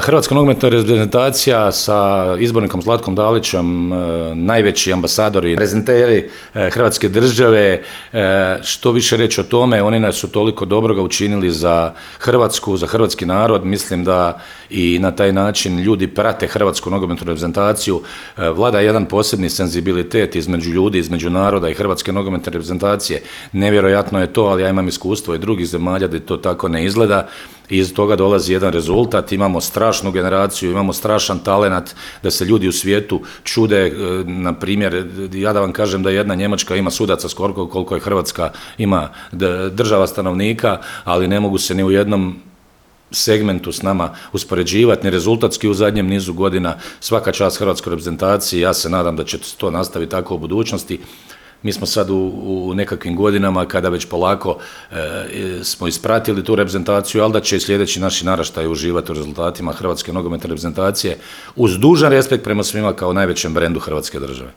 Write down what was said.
Hrvatska nogometna reprezentacija sa izbornikom Zlatkom Dalićem, najveći ambasadori, prezenteri Hrvatske države, što više reći o tome, oni nas su toliko dobroga učinili za Hrvatsku, za hrvatski narod. Mislim da i na taj način ljudi prate Hrvatsku nogometnu reprezentaciju. Vlada jedan posebni senzibilitet između ljudi, između naroda i Hrvatske nogometne reprezentacije. Nevjerojatno je to, ali ja imam iskustvo i drugih zemalja da to tako ne izgleda. I iz toga dolazi jedan rezultat, imamo strašnu generaciju, imamo strašan talenat da se ljudi u svijetu čude. Na primjer, ja da vam kažem da jedna Njemačka ima sudaca skoro koliko je Hrvatska ima država stanovnika, ali ne mogu se ni u jednom segmentu s nama uspoređivati, ni rezultatski u zadnjem nizu godina. Svaka čast hrvatskoj reprezentaciji, ja se nadam da će to nastaviti tako u budućnosti. Mi smo sad u nekakvim godinama kada već polako smo ispratili tu reprezentaciju, ali da će i sljedeći naši naraštaji uživati u rezultatima Hrvatske nogometne reprezentacije uz dužan respekt prema svima kao najvećem brendu Hrvatske države.